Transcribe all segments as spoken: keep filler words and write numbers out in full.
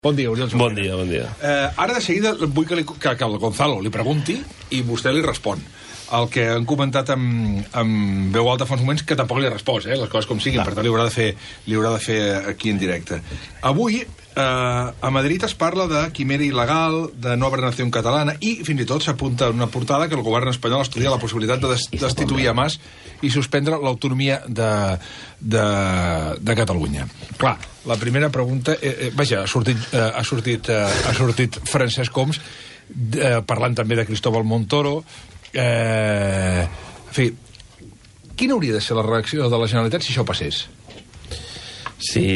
Bon dia, Oriol Junqueras. Bon dia, bon dia. Eh, ara de seguida vull que, li, que, que el Gonzalo li pregunti i vostè li respon. El que han comentat amb, amb veu alta fa uns moments, que tampoc li ha respost, eh, les coses com siguin, per tant li haurà de fer, li haurà de fer aquí en directe. Avui, eh, a Madrid es parla de quimera il·legal, de nova nació catalana, i fins i tot s'apunta en una portada que el govern espanyol estudia la possibilitat de destituir a Mas i suspendre l'autonomia de, de, de Catalunya. Clar, la primera pregunta... Eh, eh, vaja, ha sortit, eh, ha sortit, eh, ha sortit Francesc Homs, eh, parlant també de Cristóbal Montoro. Eh, en fi, quina hauria de ser la reacció de la Generalitat si això passés? Si,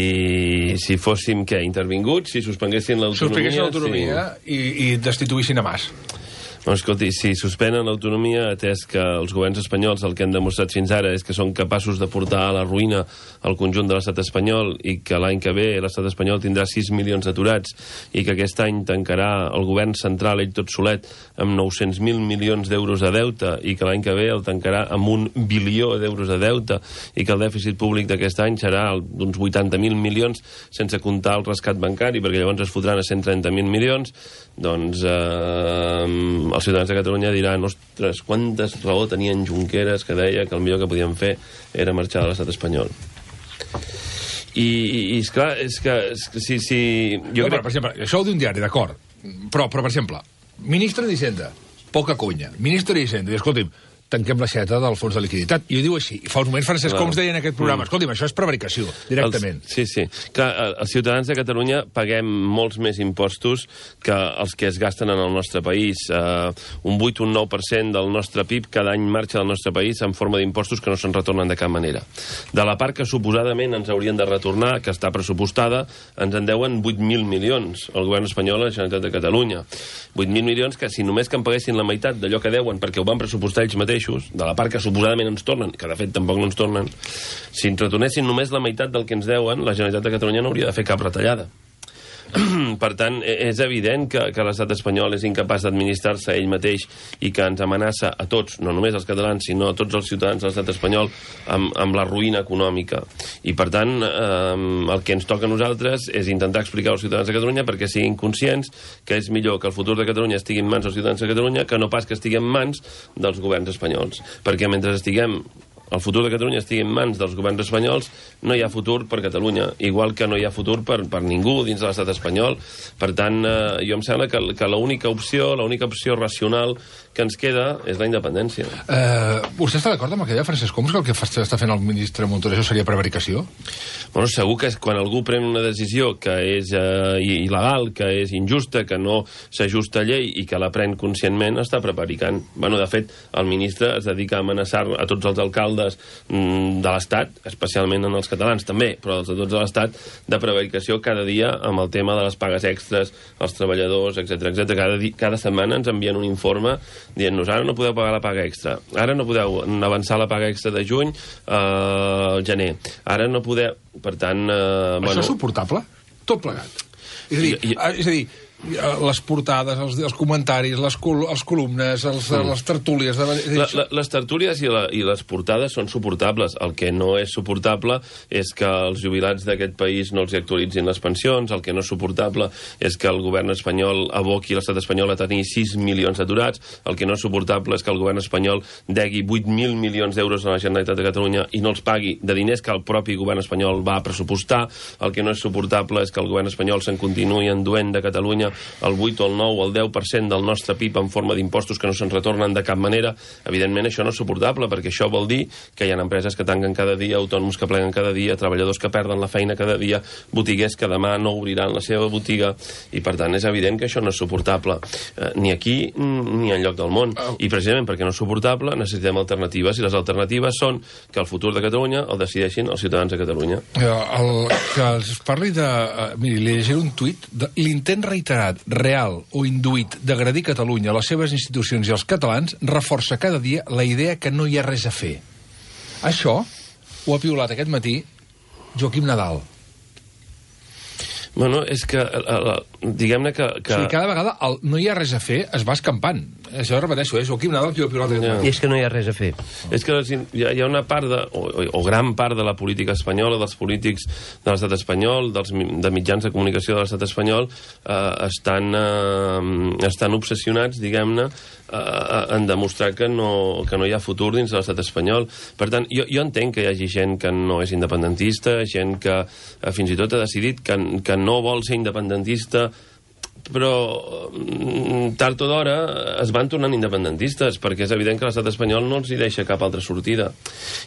si fóssim, què, intervinguts, si suspenguessin l'autonomia... Suspenguessin l'autonomia si... i, i destituïssin a Mas. Bueno, escolti, si suspenen l'autonomia, atès que els governs espanyols el que han demostrat fins ara és que són capaços de portar a la ruïna el conjunt de l'estat espanyol i que l'any que ve l'estat espanyol tindrà sis milions d'aturats i que aquest any tancarà el govern central ell tot solet amb nou-cents mil milions d'euros de deute i que l'any que ve el tancarà amb un bilió d'euros de deute i que el dèficit públic d'aquest any serà d'uns vuitanta mil milions sense comptar el rescat bancari, perquè llavors es fotran a cent trenta mil milions, doncs eh, els ciutadans de Catalunya diran, ostres, quantes raó tenien Junqueras que deia que el millor que podien fer era marxar de l'estat espanyol. I, i, i esclar, és que, és que si... si jo no, crec... Per exemple, això ho diu un diari, d'acord, però, però, per exemple, ministre d'Hisenda, poca conya, ministre d'Hisenda, i escolti'm, tanquem l'aixeta del fons de liquiditat. I ho diu així. I fa uns moments Francesc Homs deia en aquest programa, mm. escolti'm, això és prevaricació, directament. Els, sí, sí. Clar, els ciutadans de Catalunya paguem molts més impostos que els que es gasten en el nostre país. Uh, un vuit o un nou per cent del nostre P I B cada any marxa del nostre país en forma d'impostos que no se'n retornen de cap manera. De la part que suposadament ens haurien de retornar, que està pressupostada, ens en deuen vuit mil milions el govern espanyol a la Generalitat de Catalunya. vuit mil milions que si només que en paguessin la meitat d'allò que deuen perquè ho van pressupostar ells mateixos, de la part que suposadament ens tornen, que de fet tampoc no ens tornen, si ens retornessin només la meitat del que ens deuen, la Generalitat de Catalunya no hauria de fer cap retallada. Per tant, és evident que, que l'estat espanyol és incapaç d'administrar-se ell mateix i que ens amenaça a tots, no només als catalans, sinó a tots els ciutadans de l'estat espanyol amb, amb la ruïna econòmica. I, per tant, eh, el que ens toca a nosaltres és intentar explicar als ciutadans de Catalunya perquè siguin conscients que és millor que el futur de Catalunya estigui en mans dels ciutadans de Catalunya que no pas que estigui en mans dels governs espanyols. Perquè mentre estiguem el futur de Catalunya estigui en mans dels governs espanyols, no hi ha futur per Catalunya, igual que no hi ha futur per, per ningú dins de l'estat espanyol. Per tant, eh, jo em sembla que, que l'única opció, l'única opció racional que ens queda és la independència. Eh, vostè està d'acord amb el que deia Francesc Homs, que el que fa, està fent el ministre Montoro això seria prevaricació? Bueno, segur que és quan algú pren una decisió que és eh, il·legal, que és injusta, que no s'ajusta a llei i que la pren conscientment, està prevaricant. Bueno, de fet, el ministre es dedica a amenaçar a tots els alcaldes de l'Estat, especialment en els catalans també, però els de tots de l'Estat, de prevaricació cada dia amb el tema de les pagues extres, els treballadors, etcètera, etcètera. Cada, di- cada setmana ens envien un informe dient-nos ara no podeu pagar la paga extra, ara no podeu avançar la paga extra de juny al gener, ara no podeu... Per tant... Eh, Això bueno... és suportable? Tot plegat. És a dir, I, i... és a dir les portades, els, els comentaris, les, col les columnes, els, mm. les tertúlies... De... La, la, les tertúlies i, la, i les portades són suportables. El que no és suportable és que els jubilats d'aquest país no els actualitzin les pensions, el que no és suportable és que el govern espanyol aboqui l'estat espanyol a tenir sis milions d'aturats, el que no és suportable és que el govern espanyol degui vuit mil milions d'euros a la Generalitat de Catalunya i no els pagui de diners que el propi govern espanyol va pressupostar, el que no és suportable és que el govern espanyol se'n continuï enduent de Catalunya el vuit o el nou o el deu per cent del nostre P I B en forma d'impostos que no se'n retornen de cap manera. Evidentment això no és suportable, perquè això vol dir que hi ha empreses que tanquen cada dia, autònoms que pleguen cada dia, treballadors que perden la feina cada dia, botiguers que demà no obriran la seva botiga, i per tant és evident que això no és suportable, eh, ni aquí ni enlloc del món. I precisament perquè no és suportable necessitem alternatives, i les alternatives són que el futur de Catalunya el decideixin els ciutadans de Catalunya. El, que es parli de... Uh, miri, li llegiré un tuit de l'intent reiterat, real o induït d'agredir Catalunya, les seves institucions i els catalans reforça cada dia la idea que no hi ha res a fer. Això ho ha piulat aquest matí Joaquim Nadal. Bueno, és que, diguem-ne que... que... O sigui, cada vegada el no hi ha res a fer es va escampant. Això ho repeteixo, és Joaquim Nadal qui ho pilota. I és que no hi ha res a fer. És que hi ha una part, de, o, o gran part de la política espanyola, dels polítics de l'estat espanyol, dels, de mitjans de comunicació de l'estat espanyol, eh, estan, eh, estan obsessionats, diguem-ne, eh, en demostrar que no, que no hi ha futur dins de l'estat espanyol. Per tant, jo, jo entenc que hi hagi gent que no és independentista, gent que eh, fins i tot ha decidit que, que no vol ser independentista, però tard o d'hora es van tornant independentistes, perquè és evident que l'estat espanyol no els hi deixa cap altra sortida.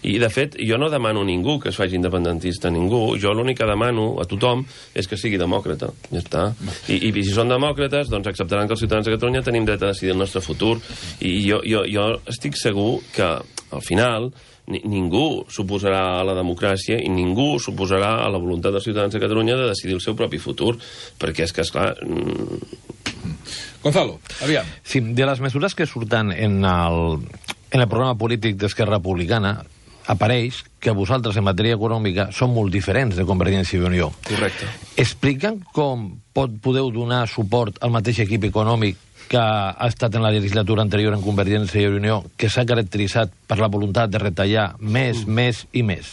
I, de fet, jo no demano a ningú que es faci independentista, ningú. Jo l'únic que demano a tothom és que sigui demòcrata. Ja està. I, i si són demòcrates, doncs acceptaran que els ciutadans de Catalunya tenim dret a decidir el nostre futur. I jo, jo, jo estic segur que, al final, Ni, ningú s'oposarà a la democràcia i ningú s'oposarà a la voluntat dels ciutadans de Catalunya de decidir el seu propi futur, perquè és que, esclar... Mm... Gonzalo, aviam. Sí, de les mesures que surten en el, en el programa polític d'Esquerra Republicana apareix que vosaltres en matèria econòmica són molt diferents de Convergència i Unió. Correcte. Expliquen com pot, podeu donar suport al mateix equip econòmic que ha estat en la legislatura anterior en Convergència i Unió, que s'ha caracteritzat per la voluntat de retallar més, mm. més i més?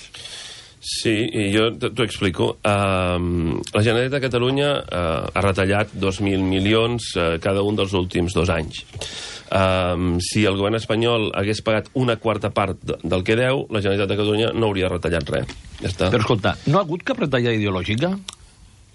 Sí, i jo t'ho explico. Uh, la Generalitat de Catalunya uh, ha retallat dos mil milions uh, cada un dels últims dos anys. Uh, si el govern espanyol hagués pagat una quarta part de, del que deu, la Generalitat de Catalunya no hauria retallat res. Ja està. Però escolta, no ha hagut cap retallada ideològica?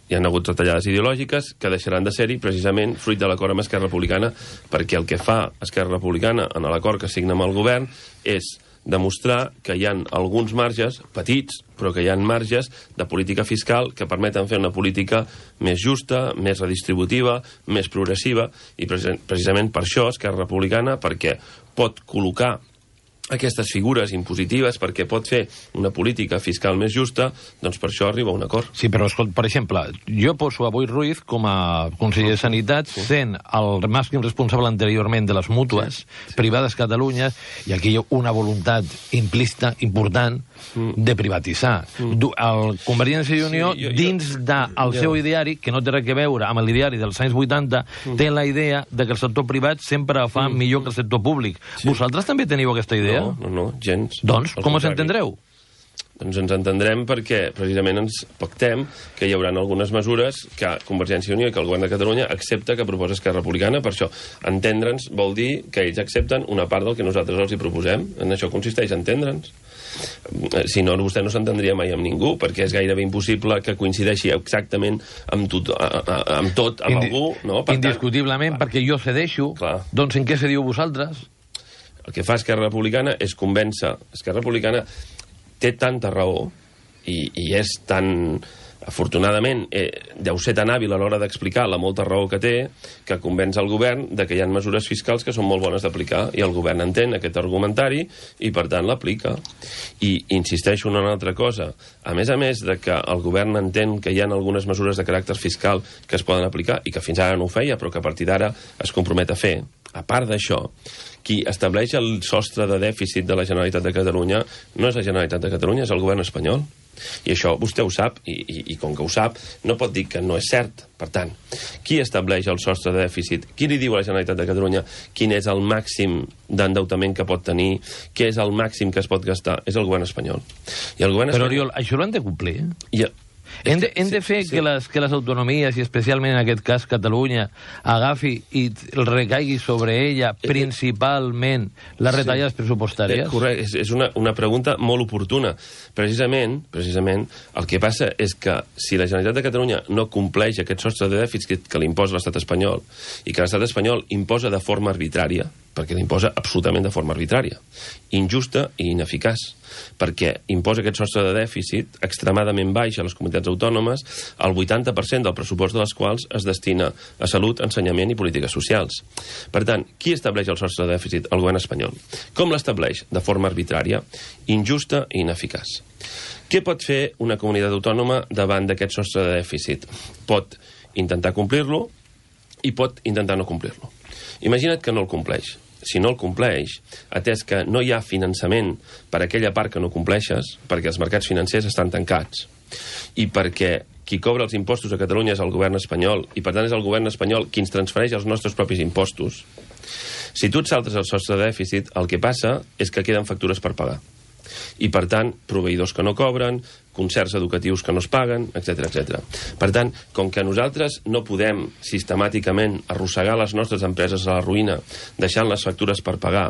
Hi ha hagut retallades ideològiques que deixaran de ser-hi precisament fruit de l'acord amb Esquerra Republicana, perquè el que fa Esquerra Republicana en l'acord que signa amb el govern és demostrar que hi ha alguns marges, petits, però que hi ha marges de política fiscal que permeten fer una política més justa, més redistributiva, més progressiva, i precisament per això Esquerra Republicana, perquè pot col·locar aquestes figures impositives, perquè pot fer una política fiscal més justa, doncs per això arriba a un acord. Sí, però, escolta, per exemple, jo poso a Boi Ruiz com a conseller de Sanitat, sí. sent el màxim responsable anteriorment de les mútues sí. privades Catalunya, i aquí hi ha una voluntat implícita, important, mm. de privatitzar. Mm. El Convergència i Unió, sí, jo, jo, dins del jo, seu ideari, que no té res a veure amb l'ideari dels anys vuitanta, mm. té la idea de que el sector privat sempre fa mm. millor que el sector públic. Sí. Vosaltres també teniu aquesta idea? No, no, no, gens. Doncs, com us entendreu? Doncs ens entendrem perquè precisament ens pactem que hi haurà algunes mesures que Convergència i Unió i que el govern de Catalunya accepta que proposa Esquerra Republicana. Per això, entendre'ns vol dir que ells accepten una part del que nosaltres els hi proposem. En això consisteix entendre'ns. Si no, vostè no s'entendria mai amb ningú, perquè és gairebé impossible que coincideixi exactament amb tot, amb, tot, amb Indi algú. No? Per Indiscutiblement, tant, perquè jo cedeixo. Clar. Doncs en què cediu vosaltres? El que fa Esquerra Republicana és convèncer. Esquerra Republicana té tanta raó i, i és tan... Afortunadament, eh, deu ser tan hàbil a l'hora d'explicar la molta raó que té que convenç el govern de que hi ha mesures fiscals que són molt bones d'aplicar, i el govern entén aquest argumentari i, per tant, l'aplica. I insisteixo en una altra cosa. A més a més de que el govern entén que hi ha algunes mesures de caràcter fiscal que es poden aplicar i que fins ara no ho feia, però que a partir d'ara es compromet a fer, a part d'això, qui estableix el sostre de dèficit de la Generalitat de Catalunya no és la Generalitat de Catalunya, és el govern espanyol. I això vostè ho sap, i, i, i com que ho sap, no pot dir que no és cert. Per tant, qui estableix el sostre de dèficit? Qui li diu a la Generalitat de Catalunya quin és el màxim d'endeutament que pot tenir? Què és el màxim que es pot gastar? És el govern espanyol. I el govern Però, espanyol... Oriol, això l'han de complir? I... Hem de, hem de fer sí, sí. Que, les, que les autonomies, i especialment en aquest cas Catalunya, agafi i el recaigui sobre ella principalment les retallades sí. pressupostàries? Eh, correcte, és, és una, una pregunta molt oportuna. Precisament, precisament, el que passa és que si la Generalitat de Catalunya no compleix aquest sostre de dèficit que, que l'imposa l'estat espanyol, i que l'estat espanyol imposa de forma arbitrària, perquè l'imposa absolutament de forma arbitrària, injusta i ineficaç, perquè imposa aquest sostre de dèficit extremadament baix a les comunitats autònomes, el vuitanta per cent del pressupost de les quals es destina a salut, ensenyament i polítiques socials. Per tant, qui estableix el sostre de dèficit? El govern espanyol. Com l'estableix? De forma arbitrària, injusta i ineficaç. Què pot fer una comunitat autònoma davant d'aquest sostre de dèficit? Pot intentar complir-lo i pot intentar no complir-lo. Imagina't que no el compleix. Si no el compleix, atès que no hi ha finançament per a aquella part que no compleixes, perquè els mercats financers estan tancats, i perquè qui cobra els impostos a Catalunya és el govern espanyol, i per tant és el govern espanyol qui ens transfereix els nostres propis impostos, Si tu et saltes el sostre de dèficit, el que passa és que queden factures per pagar. I, per tant, proveïdors que no cobren, concerts educatius que no es paguen, etcètera, etcètera. Per tant, com que nosaltres no podem sistemàticament arrossegar les nostres empreses a la ruïna deixant les factures per pagar,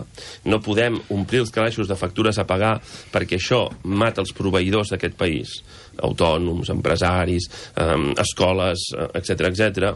no podem omplir els calaixos de factures a pagar perquè això mata els proveïdors d'aquest país, autònoms, empresaris, eh, escoles, etcètera, etcètera,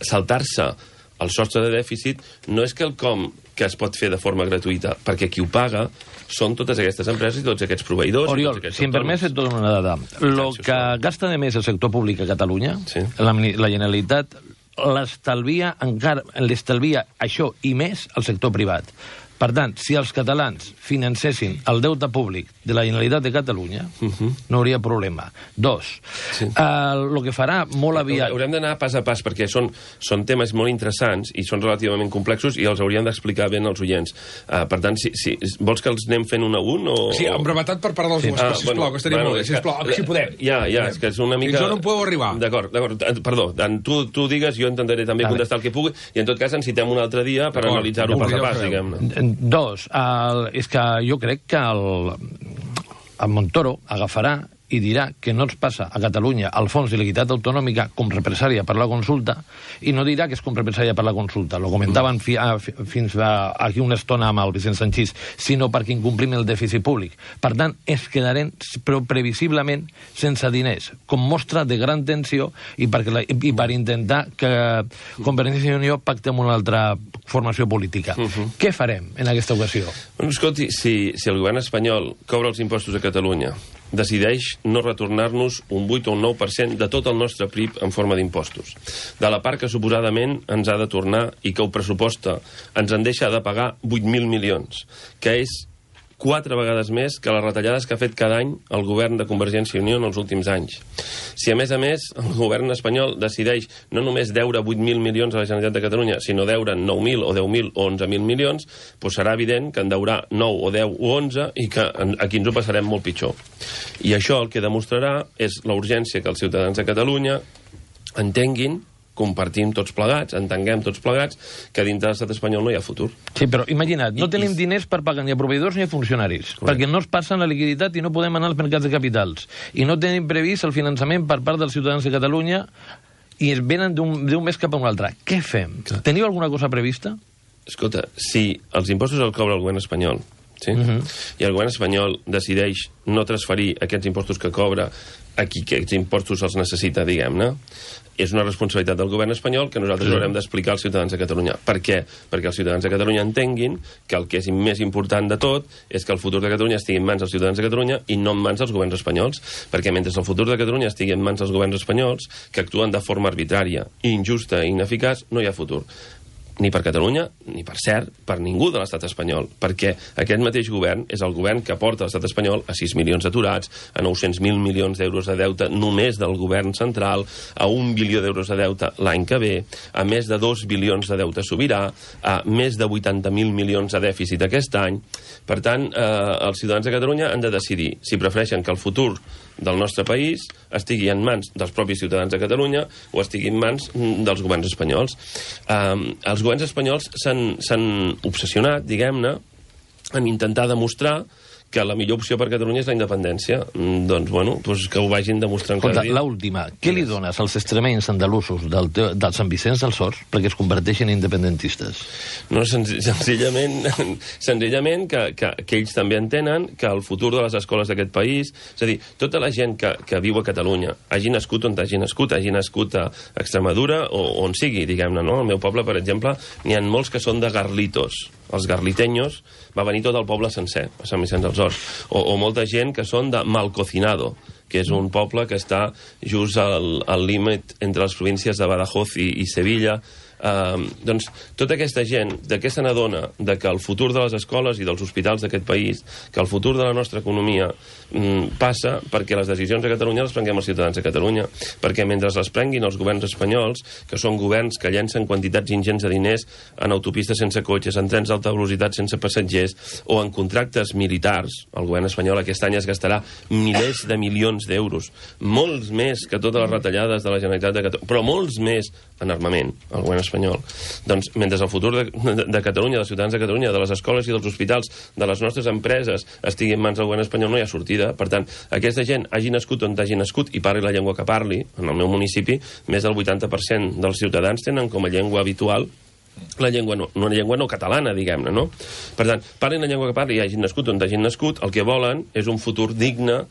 saltar-se el sostre de dèficit no és quelcom que es pot fer de forma gratuïta, perquè qui ho paga són totes aquestes empreses i tots aquests proveïdors. Oriol, si em permets, et dono una dada. Lo que gasta de més el sector públic a Catalunya, sí. la, la Generalitat l'estalvia encara, l'estalvia això i més al sector privat. Per tant, si els catalans financessin el deute públic de la Generalitat de Catalunya, uh-huh. no hauria problema. Dos, sí. el uh, que farà molt aviat... Haurem d'anar pas a pas, perquè són, són temes molt interessants i són relativament complexos i els hauríem d'explicar ben als oients. Uh, per tant, si, si, vols que els anem fent un a un? O, sí, en brevetat per part dels sí. ah, sisplau, bueno, que estaria bueno, molt bé, sisplau, que, si podem. Ja, ja, és que és una mica... Fins on podeu arribar? D'acord, d'acord. Perdó, tu, tu digues, jo intentaré també vale. contestar el que pugui, i en tot cas ens citem un altre dia per analitzar-ho pas a pas, diguem-ne. Dos, el, és que jo crec que el, el Montoro agafarà i dirà que no ens passa a Catalunya el fons de liquiditat autonòmica com represària per la consulta i no dirà que és com represària per la consulta. Lo comentaven fi, a, fins a, aquí una estona amb el Vicent Sanchís, sinó perquè incomplim el dèficit públic. Per tant, es quedarem però previsiblement sense diners, com mostra de gran tensió i, perquè la, i per intentar que Convergència i Unió pacti amb una altra formació política. Uh -huh. Què farem en aquesta ocasió? Bueno, escolti, si, si el govern espanyol cobra els impostos a Catalunya, decideix no retornar-nos un vuit o un nou per cent de tot el nostre P I B en forma d'impostos. De la part que suposadament ens ha de tornar i que ho pressuposta ens en deixa de pagar vuit mil milions, que és quatre vegades més que les retallades que ha fet cada any el govern de Convergència i Unió en els últims anys. Si, a més a més, el govern espanyol decideix no només deure vuit mil milions a la Generalitat de Catalunya, sinó deure nou mil o deu mil o onze mil milions, doncs serà evident que en deurà nou o deu o onze i que aquí ens ho passarem molt pitjor. I això el que demostrarà és la urgència que els ciutadans de Catalunya entenguin, compartim tots plegats, entenguem tots plegats, que dintre de l'estat espanyol no hi ha futur. Sí, però imagina't, no I, tenim i... diners per pagar ni a proveïdors ni a funcionaris, Correcte. perquè no es passen la liquiditat i no podem anar als mercats de capitals. I no tenim previst el finançament per part dels ciutadans de Catalunya i es venen d'un mes cap a un altre. Què fem? Clar. Teniu alguna cosa prevista? Escolta, si els impostos els cobra el govern espanyol, sí? Uh-huh. i el govern espanyol decideix no transferir aquests impostos que cobra a qui aquests impostos els necessita, diguem-ne, és una responsabilitat del govern espanyol que nosaltres sí. haurem d'explicar als ciutadans de Catalunya. Per què? Perquè els ciutadans de Catalunya entenguin que el que és més important de tot és que el futur de Catalunya estigui en mans dels ciutadans de Catalunya i no en mans dels governs espanyols. Perquè mentre el futur de Catalunya estigui en mans dels governs espanyols, que actuen de forma arbitrària, injusta i ineficaç, no hi ha futur. Ni per Catalunya, ni per cert, per ningú de l'estat espanyol, perquè aquest mateix govern és el govern que porta l'estat espanyol a sis milions d'aturats, a nou-cents mil milions d'euros de deute només del govern central, a un bilió d'euros de deute l'any que ve, a més de dos bilions de deute sobirà, a més de vuitanta mil milions de dèficit aquest any. Per tant, eh, els ciutadans de Catalunya han de decidir si prefereixen que el futur del nostre país estigui en mans dels propis ciutadans de Catalunya o estigui en mans dels governs espanyols. Um, els governs espanyols s'han obsessionat, diguem-ne, en intentar demostrar que la millor opció per Catalunya és la independència. Mm, doncs, bueno, doncs que ho vagin demostrant cada dia. L'última, què li dones als extremenys andalusos del, del Sant Vicenç dels Horts perquè es converteixin en independentistes? No, senz senzillament, senzillament que, que, que ells també entenen que el futur de les escoles d'aquest país, és a dir, tota la gent que, que viu a Catalunya, hagi nascut on hagi nascut, hagi nascut a Extremadura o on sigui, diguem-ne, no? Al meu poble, per exemple, n'hi ha molts que són de Garlitos. Els garliteños va venir tot el poble sencer, a Sant Vicenç dels Horts. O, o molta gent que són de Malcocinado, que és un poble que està just al, al límit entre les províncies de Badajoz i, i Sevilla. Uh, doncs tota aquesta gent, de què se n'adona? De que el futur de les escoles i dels hospitals d'aquest país, que el futur de la nostra economia mm, passa perquè les decisions de Catalunya les prenguem els ciutadans de Catalunya, perquè mentre les prenguin els governs espanyols, que són governs que llencen quantitats ingents de diners en autopistes sense cotxes, en trens d'alta velocitat sense passatgers o en contractes militars, el govern espanyol aquest any es gastarà milers de milions d'euros, molts més que totes les retallades de la Generalitat de Catalunya, però molts més en armament, el govern espanyol, doncs mentre el futur de, de, de Catalunya, dels ciutadans de Catalunya, de les escoles i dels hospitals, de les nostres empreses, estigui en mans del govern espanyol, no hi ha sortida. Per tant, aquesta gent hagi nascut on hagi nascut i parli la llengua que parli, en el meu municipi, més del vuitanta per cent dels ciutadans tenen com a llengua habitual la llengua no, una llengua no catalana, diguem-ne, no? Per tant, parlin la llengua que parli i hagin nascut on hagin nascut, el que volen és un futur digne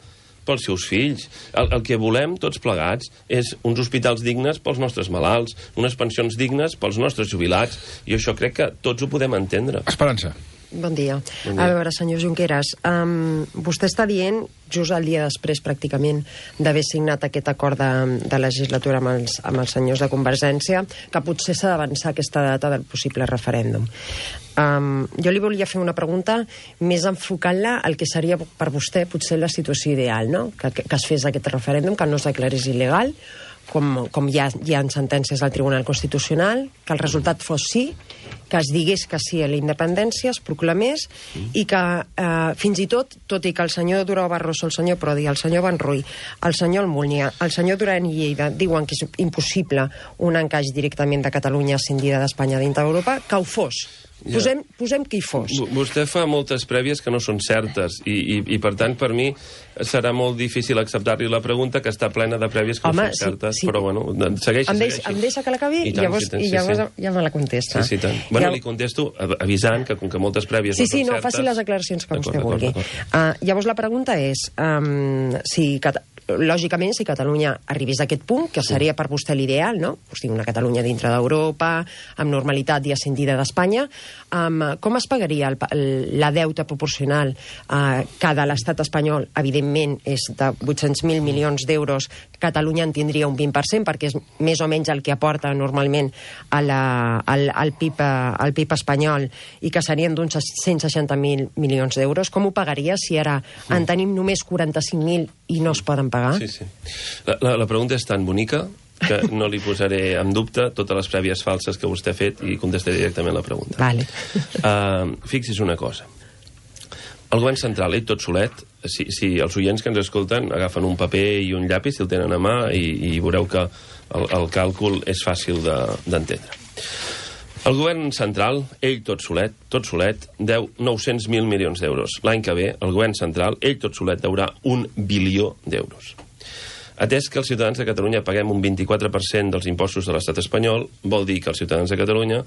pels seus fills. El, el que volem, tots plegats, és uns hospitals dignes pels nostres malalts, unes pensions dignes pels nostres jubilats, i això crec que tots ho podem entendre. Esperança. Bon dia. Bon dia. A veure, senyor Junqueras, um, vostè està dient, just el dia després, pràcticament, d'haver signat aquest acord de, de legislatura amb els, amb els senyors de Convergència, que potser s'ha d'avançar aquesta data del possible referèndum. Um, jo li volia fer una pregunta més enfocant-la al que seria per vostè potser la situació ideal, no? Que, que, que es fes aquest referèndum, que no es declarés il·legal, com, com hi ha, hi ha sentències del Tribunal Constitucional, que el resultat fos sí, que es digués que sí a la independència, es proclamés, mm. i que eh, fins i tot, tot i que el senyor Durão Barroso, el senyor Prodi, el senyor Van Ruy, el senyor Almunia, el senyor Duran i Lleida diuen que és impossible un encaix directament de Catalunya ascendida d'Espanya dintre d'Europa, que ho fos. Ja. Posem, posem que hi fos. Vostè fa moltes prèvies que no són certes i, i, i per tant, per mi serà molt difícil acceptar-li la pregunta, que està plena de prèvies que Home, no són certes, sí, sí. però bueno, segueixi, em deix, segueixi. Em deixa que l'acabi i, I, tant, llavors, sí, tant, i llavors sí, sí. ja me la contesta. Sí, sí, tant. Bueno, ja... li contesto avisant que com que moltes prèvies Sí, no sí, són no, certes... faci les declaracions que vostè d'acord, vulgui. d'acord. Uh, llavors la pregunta és, um, si, Cat lògicament, si Catalunya arribés a aquest punt, que seria per vostè l'ideal, no? O sigui, una Catalunya dintre d'Europa, amb normalitat i ascendida d'Espanya, um, com es pagaria el, el, la deuta proporcional uh, que de l'estat espanyol, evidentment, és de vuit-cents mil milions d'euros, Catalunya en tindria un vint per cent, perquè és més o menys el que aporta normalment a la, al, al, PIB, al PIB espanyol, i que serien d'uns cent seixanta mil milions d'euros. Com ho pagaria si ara en tenim només quaranta-cinc mil i no es poden pagar? Sí, sí. La, la, la pregunta és tan bonica que no li posaré en dubte totes les prèvies falses que vostè ha fet i contestaré directament la pregunta. Vale. Uh, fixi's una cosa. El govern central, ell tot solet, si, si els oients que ens escolten agafen un paper i un llapis, si el tenen a mà, i, i veureu que el, el càlcul és fàcil d'entendre. De, el govern central, ell tot solet, tot solet, deu nou-cents mil milions d'euros. L'any que ve, el govern central, ell tot solet, deurà un bilió d'euros. Atès que els ciutadans de Catalunya paguem un vint-i-quatre per cent dels impostos de l'estat espanyol, vol dir que els ciutadans de Catalunya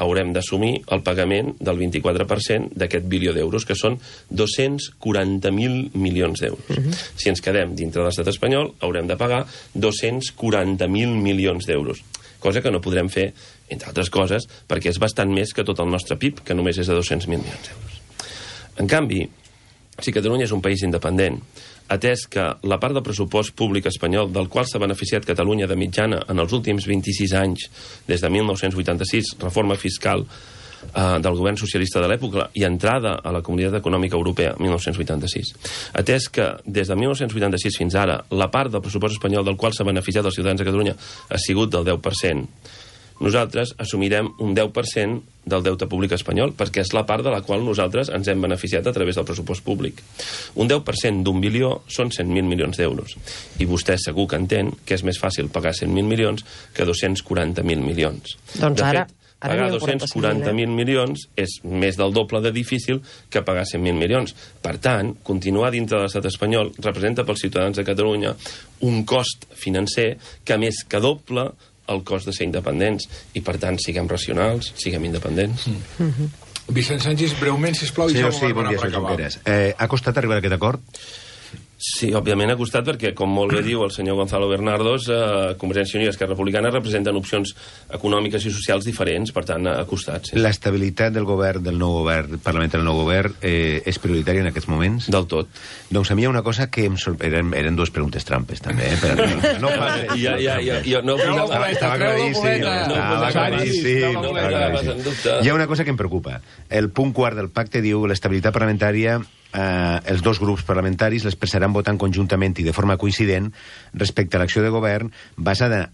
haurem d'assumir el pagament del vint-i-quatre per cent d'aquest bilió d'euros, que són dos-cents quaranta mil milions d'euros. Uh-huh. Si ens quedem dintre de l'estat espanyol, haurem de pagar dos-cents quaranta mil milions d'euros, cosa que no podrem fer, entre altres coses, perquè és bastant més que tot el nostre P I B, que només és de dos-cents mil milions d'euros. En canvi, si Catalunya és un país independent, atès que la part del pressupost públic espanyol del qual s'ha beneficiat Catalunya de mitjana en els últims vint-i-sis anys, des de mil nou-cents vuitanta-sis, reforma fiscal eh, del govern socialista de l'època i entrada a la Comunitat Econòmica Europea, mil nou-cents vuitanta-sis, atès que des de mil nou-cents vuitanta-sis fins ara la part del pressupost espanyol del qual s'ha beneficiat els ciutadans de Catalunya ha sigut del deu per cent, nosaltres assumirem un deu per cent del deute públic espanyol, perquè és la part de la qual nosaltres ens hem beneficiat a través del pressupost públic. Un deu per cent d'un bilió són cent mil milions d'euros. I vostè segur que entén que és més fàcil pagar cent mil milions que dos-cents quaranta mil milions. Doncs de ara... fet, pagar dos-cents quaranta mil milions és més del doble de difícil que pagar cent mil milions. Per tant, continuar dintre de l'estat espanyol representa pels ciutadans de Catalunya un cost financer que més que doble el cost de ser independents, i per tant siguem racionals, siguem independents. Mm. Mm-hmm. Vicent Sánchez, breument, sisplau, i sí, ja sí, bon dia, senyor Junqueras. Eh, ha costat arribar a aquest acord? Sí, òbviament ha costat perquè, com molt bé diu el senyor Gonzalo Bernardos, eh, Convergència i Unió i Esquerra Republicana representen opcions econòmiques i socials diferents, per tant ha costat. Sí. L'estabilitat del govern, del nou govern, parlamentari del nou govern, eh, és prioritària en aquests moments? Del tot. Doncs a mi hi ha una cosa que em sorprèn, eren, eren dues preguntes trampes, també, eh? Però no, no passi. Ja, ja, ja, ja, no, Treu la no, boleta, estava treu la claríssim, boleta. estava claríssim, no, estava no, claríssim. no, Hi ha una cosa que em preocupa. El punt quart del pacte diu l'estabilitat parlamentària, eh, els dos grups parlamentaris l'expressaran votant conjuntament i de forma coincident respecte a l'acció de govern basada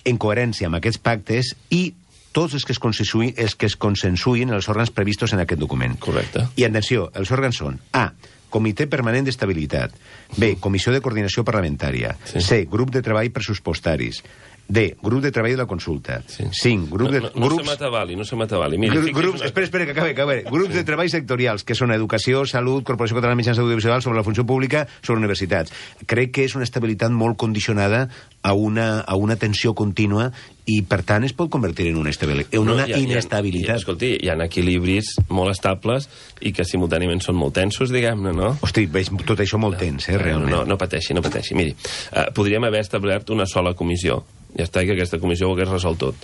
en coherència amb aquests pactes i tots els que es consensuïn, els que es consensuïn els òrgans previstos en aquest document. Correcte. I atenció, els òrgans són A, Comitè Permanent d'Estabilitat, B, Comissió de Coordinació Parlamentària, Sí. C, Grup de Treball Pressupostaris, D. Grup de treball de la consulta. cinc. Grup de... No, no, no grups... se m'atabali, no se m'atabali. Mira, Gru grups, una... espera, espera, que acabe, que acabe. Grups de treball sectorials, que són Educació, Salut, Corporació Catalana de Mitjans Audiovisuals, sobre la funció pública, sobre universitats. Crec que és una estabilitat molt condicionada a una, a una tensió contínua i, per tant, es pot convertir en una, en una no, hi ha, inestabilitat. Hi ha, escolti, hi ha equilibris molt estables i que simultàniament són molt tensos, diguem-ne, no? Hosti, veig tot això molt tens, eh, realment. No, no, no pateixi, no pateixi. Miri, uh, podríem haver establert una sola comissió. Ja està, que aquesta comissió ho hagués resolt tot.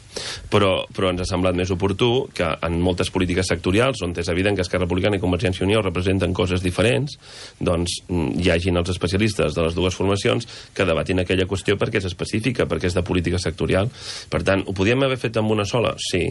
Però, però ens ha semblat més oportú que en moltes polítiques sectorials, on és evident que Esquerra Republicana i Convergència i Unió representen coses diferents, doncs hi hagin els especialistes de les dues formacions que debatin aquella qüestió perquè és específica, perquè és de política sectorial. Per tant, ho podíem haver fet amb una sola? Sí.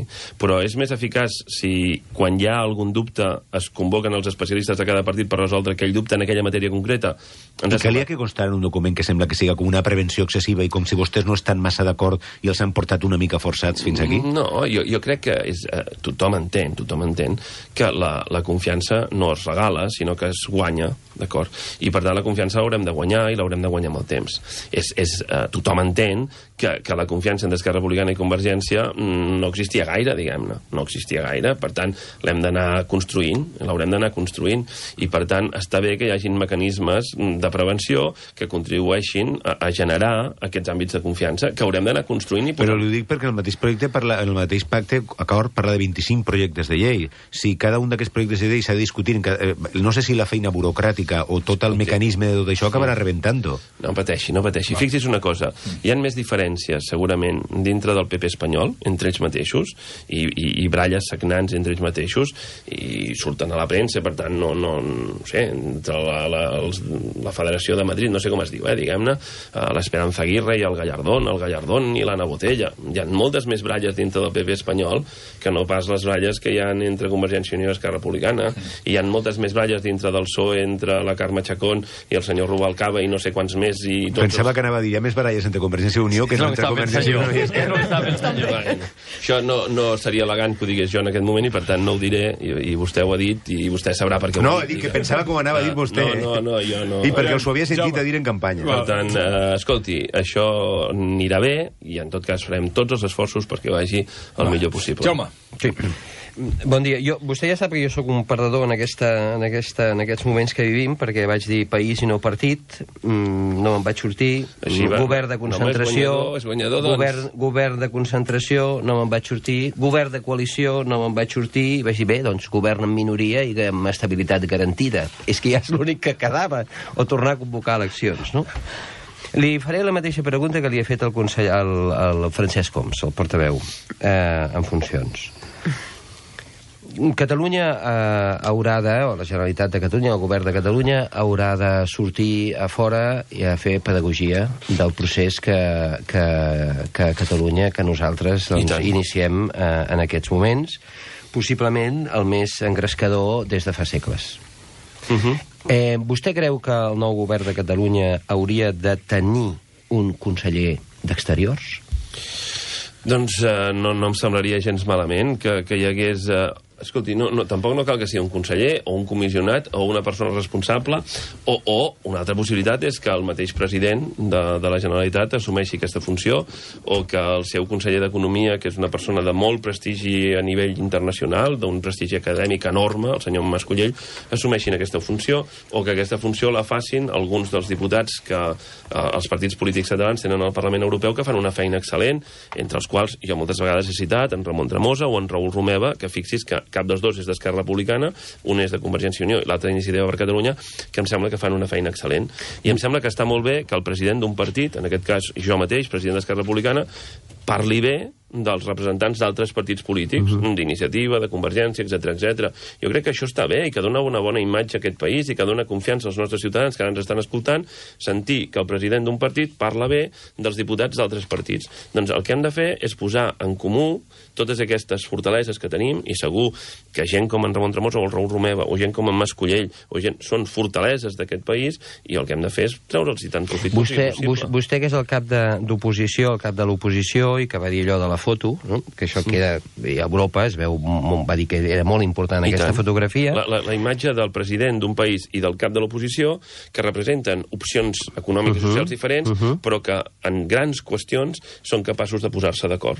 Però és més eficaç si quan hi ha algun dubte es convoquen els especialistes de cada partit per resoldre aquell dubte en aquella matèria concreta. Ens I que li ha que constar en un document que sembla que siga com una prevenció excessiva i com si vostès no estan massa d'acord i els han portat una mica forçats fins aquí? No, jo, jo crec que és, eh, tothom entén, tothom entén que la, la confiança no es regala, sinó que es guanya, d'acord? I per tant la confiança l'haurem de guanyar i l'haurem de guanyar amb el temps. És, és, eh, tothom entén que, que la confiança en Esquerra Republicana i Convergència no existia gaire, diguem-ne, no existia gaire, per tant l'hem d'anar construint, l'haurem d'anar construint, i per tant està bé que hi hagin mecanismes de prevenció que contribueixin a, a generar aquests àmbits de confiança que haurem d'anar construint i posant. Però li dic perquè el mateix projecte parla, el mateix pacte acord parla de vint-i-cinc projectes de llei. Si cada un d'aquests projectes de llei s'ha de discutir, eh, no sé si la feina burocràtica o tot el mecanisme de tot això acabarà rebentant-ho. No pateixi, no pateixi. Fixi's una cosa, hi ha més diferències segurament dintre del P P espanyol, entre ells mateixos, i, i, i bralles sagnants entre ells mateixos, i surten a la premsa, per tant, no, no, no sé, entre la, la, els, la Federació de Madrid, no sé com es diu, eh, diguem-ne, l'Esperanza Aguirre i el Gallardón, el Gallardón i l'Anna Botella. Hi ha moltes més bralles dintre del P P espanyol que no pas les bralles que hi ha entre Convergència i Unió i Esquerra Republicana. I hi ha moltes més bralles dintre del P S O E entre la Carme Chacón i el senyor Rubalcaba i no sé quants més. I tots Pensava els... que anava a dir, hi ha més baralles entre Convergència i Unió que no entre Convergència i Unió i Esquerra. Això no, no seria elegant que ho digués jo en aquest moment i per tant no ho diré i, i vostè ho ha dit i vostè sabrà per què ho no, ha dit. No, dic que pensava com anava a dir vostè. No, no, no, jo no. I perquè us ho havia sentit a dir en campanya. Per tant, eh, escolti, això anirà bé i en tot cas farem tots els esforços perquè vagi el Va. millor possible. Jaume. Sí. Bon dia. Jo, vostè ja sap que jo sóc un perdedor en, aquesta, en, aquesta, en aquests moments que vivim, perquè vaig dir país i no partit, mm, no me'n vaig sortir, Així va. govern de concentració, no, és guanyador, és guanyador, doncs. govern, govern de concentració, no me'n vaig sortir, govern de coalició, no me'n vaig sortir, i vaig dir, bé, doncs govern en minoria i amb estabilitat garantida. És que ja és l'únic que quedava, o tornar a convocar eleccions, no? Li faré la mateixa pregunta que li ha fet el, consell, el, el Francesc Homs, el portaveu, eh, en funcions. Catalunya eh, haurà de, o la Generalitat de Catalunya, el govern de Catalunya, haurà de sortir a fora i a fer pedagogia del procés que, que, que Catalunya, que nosaltres doncs, iniciem eh, en aquests moments, possiblement el més engrescador des de fa segles. Uh -huh. eh, vostè creu que el nou govern de Catalunya hauria de tenir un conseller d'Exteriors? Doncs eh, no, no em semblaria gens malament que, que hi hagués... Eh... Escolti, no, no, tampoc no cal que sigui un conseller o un comissionat o una persona responsable o, o una altra possibilitat és que el mateix president de, de la Generalitat assumeixi aquesta funció o que el seu conseller d'Economia, que és una persona de molt prestigi a nivell internacional, d'un prestigi acadèmic enorme, el senyor Mascolell, assumeixin aquesta funció o que aquesta funció la facin alguns dels diputats que eh, els partits polítics catalans tenen al Parlament Europeu que fan una feina excel·lent, entre els quals jo moltes vegades he citat en Ramon Tremosa o en Raül Romeva, que fixis que cap dels dos és d'Esquerra Republicana, un és de Convergència i Unió i l'altre d'Iniciativa per Catalunya, que em sembla que fan una feina excel·lent. I em sembla que està molt bé que el president d'un partit, en aquest cas jo mateix, president d'Esquerra Republicana, parli bé dels representants d'altres partits polítics, uh -huh. d'Iniciativa, de Convergència, etcètera, etcètera. Jo crec que això està bé i que dona una bona imatge a aquest país i que dona confiança als nostres ciutadans que ara ens estan escoltant, sentir que el president d'un partit parla bé dels diputats d'altres partits. Doncs el que hem de fer és posar en comú totes aquestes fortaleses que tenim i segur que gent com en Ramon Tremosa o el Raül Romeva o gent com en Mascolell o gent, són fortaleses d'aquest país i el que hem de fer és treure'ls i tant profit vostè, possible. Vostè que és el cap d'oposició, el cap de l'oposició Rajoy, que va dir allò de la foto, no? Que això queda... I a Europa es veu... Va dir que era molt important I aquesta tant. fotografia. La, la, la imatge del president d'un país i del cap de l'oposició que representen opcions econòmiques i socials diferents, uh -huh. però que en grans qüestions són capaços de posar-se d'acord.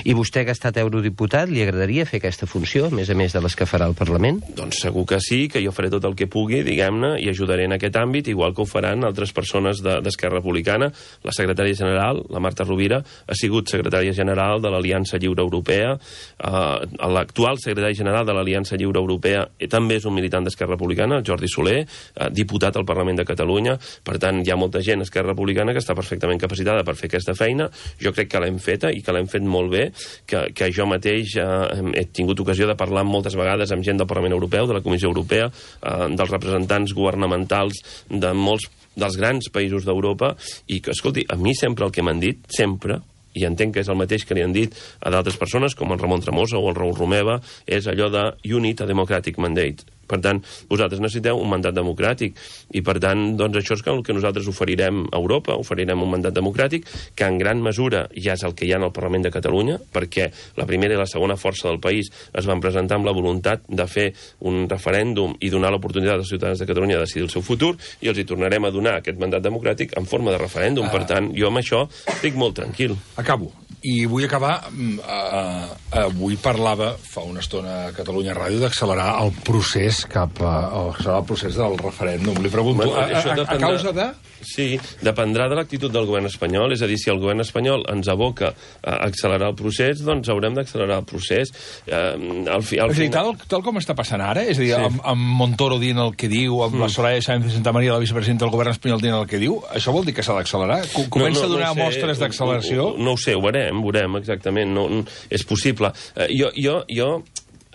I vostè, que ha estat eurodiputat, li agradaria fer aquesta funció, a més a més de les que farà el Parlament? Doncs segur que sí, que jo faré tot el que pugui, diguem-ne, i ajudaré en aquest àmbit, igual que ho faran altres persones d'Esquerra de, Republicana. La secretària general, la Marta Rovira, ha sigut secretària general de l'Aliança Lliure Europea. Uh, L'actual secretari general de l'Aliança Lliure Europea eh, també és un militant d'Esquerra Republicana, el Jordi Soler, uh, diputat al Parlament de Catalunya. Per tant, hi ha molta gent a Esquerra Republicana que està perfectament capacitada per fer aquesta feina. Jo crec que l'hem feta i que l'hem fet molt bé, que, que jo mateix eh, he tingut ocasió de parlar moltes vegades amb gent del Parlament Europeu, de la Comissió Europea, eh, dels representants governamentals de molts dels grans països d'Europa, i que, escolti, a mi sempre el que m'han dit, sempre, i entenc que és el mateix que li han dit a d'altres persones, com el Ramon Tremosa o el Raül Romeva, és allò de "You need a democratic mandate". Per tant, vosaltres necessiteu un mandat democràtic, i per tant, doncs això és el que nosaltres oferirem a Europa, oferirem un mandat democràtic, que en gran mesura ja és el que hi ha en el Parlament de Catalunya, perquè la primera i la segona força del país es van presentar amb la voluntat de fer un referèndum i donar l'oportunitat als ciutadans de Catalunya de decidir el seu futur, i els hi tornarem a donar aquest mandat democràtic en forma de referèndum. Per tant, jo amb això estic molt tranquil. Acabo. I vull acabar... Uh, avui parlava fa una estona a Catalunya Ràdio d'accelerar el procés cap a, accelerar el procés del referèndum. Li pregunto, Bueno, a, això a, a dependrà- causa de... Sí, dependrà de l'actitud del govern espanyol. És a dir, si el govern espanyol ens aboca a accelerar el procés, doncs haurem d'accelerar el procés. Eh, al fi, al És a dir, final... tal, tal com està passant ara, és a dir, Sí. amb, amb Montoro dient el que diu, amb mm. la Soraya Sáenz de Santa Maria, la vicepresidenta del govern espanyol, dient el que diu, això vol dir que s'ha d'accelerar? Co- Comença a donar ho sé, mostres d'acceleració? No, no, no ho sé, ho veurem, veurem exactament. No, no, és possible. Eh, jo, jo, jo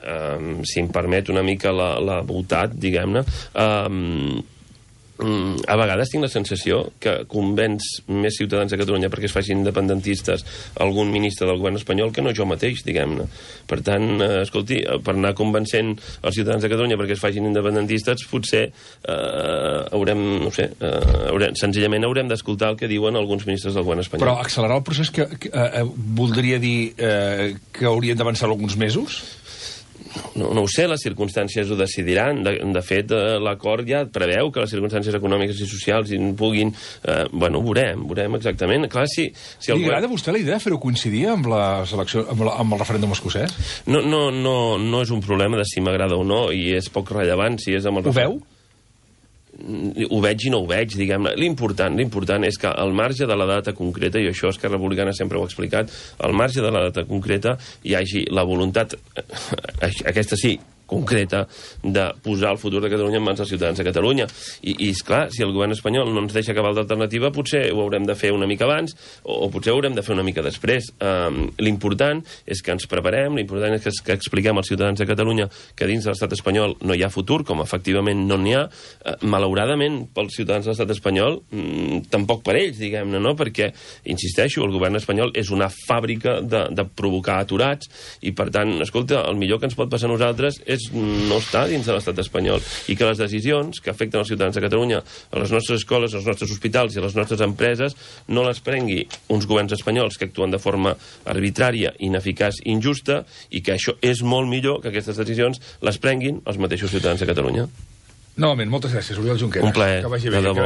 eh, si em permet una mica la, la voltat, diguem-ne, eh, a vegades tinc la sensació que convenç més ciutadans de Catalunya perquè es facin independentistes algun ministre del govern espanyol que no jo mateix, diguem-ne. Per tant, eh, escolti, per anar convencent els ciutadans de Catalunya perquè es facin independentistes, potser eh, haurem, no sé, eh, haurem, senzillament haurem d'escoltar el que diuen alguns ministres del govern espanyol. Però accelerar el procés que, que eh, voldria dir eh, que haurien d'avançar alguns mesos? No, no ho sé, les circumstàncies ho decidiran. De, de fet, eh, l'acord ja preveu que les circumstàncies econòmiques i socials hi puguin... Eh, bueno, ho veurem, veurem exactament. Clar, si, si el Li agrada a vostè la idea de fer-ho coincidir amb, la selecció, amb, la, amb el referèndum escocès? No, no, no, no és un problema de si m'agrada o no, i és poc rellevant si és amb el... Ho veu? Ho veig i no ho veig, diguem-ne. L'important, l'important és que al marge de la data concreta, i això Esquerra Republicana sempre ho ha explicat, al marge de la data concreta hi hagi la voluntat, aquesta sí, concreta, de posar el futur de Catalunya en mans dels ciutadans de Catalunya. I, i esclar, si el govern espanyol no ens deixa acabar l'alternativa, potser ho haurem de fer una mica abans, o, o potser ho haurem de fer una mica després. Um, l'important és que ens preparem, l'important és que, que expliquem als ciutadans de Catalunya que dins de l'estat espanyol no hi ha futur, com efectivament no n'hi ha. Uh, malauradament, pels ciutadans de l'estat espanyol, mm, tampoc per ells, diguem-ne, no? Perquè, insisteixo, el govern espanyol és una fàbrica de, de provocar aturats, i per tant, escolta, el millor que ens pot passar a nosaltres és no estar dins de l'estat espanyol, i que les decisions que afecten els ciutadans de Catalunya, a les nostres escoles, als nostres hospitals i a les nostres empreses, no les prengui uns governs espanyols que actuen de forma arbitrària, ineficaç, injusta, i que això és molt millor que aquestes decisions les prenguin els mateixos ciutadans de Catalunya. Novament, moltes gràcies, Oriol Junqueras. Un plaer, Que vagi de bé. debò.